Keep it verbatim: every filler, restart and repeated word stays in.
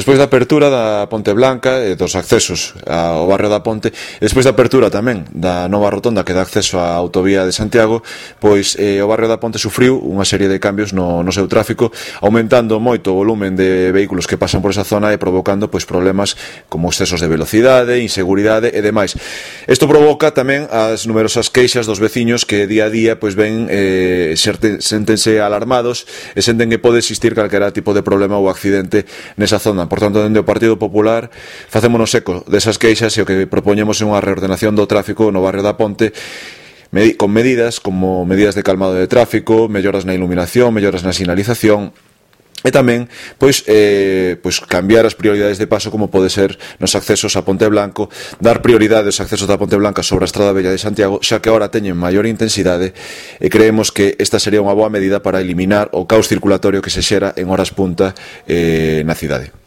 Despois da apertura da Ponte Blanca e dos accesos ao barrio da Ponte, e despois da apertura tamén da nova rotonda que dá acceso á autovía de Santiago, pois eh, o barrio da Ponte sufriu unha serie de cambios no, no seu tráfico, aumentando moito o volumen de vehículos que pasan por esa zona e provocando pois problemas como excesos de velocidade, inseguridade e demais. Isto provoca tamén as numerosas queixas dos veciños que día a día pois ven eh, séntense alarmados e senten que pode existir calquera tipo de problema ou accidente nesa zona. Por tanto, dende o Partido Popular facémonos eco desas queixas e o que propoñemos é unha reordenación do tráfico no barrio da Ponte con medidas como medidas de calmado de tráfico, melloras na iluminación, melloras na sinalización e tamén pois, eh, pois cambiar as prioridades de paso como pode ser nos accesos a Ponte Blanco, dar prioridade aos accesos da Ponte Blanca sobre a Estrada Bella de Santiago, xa que agora teñen maior intensidade e creemos que esta sería unha boa medida para eliminar o caos circulatorio que se xera en horas punta eh, na cidade.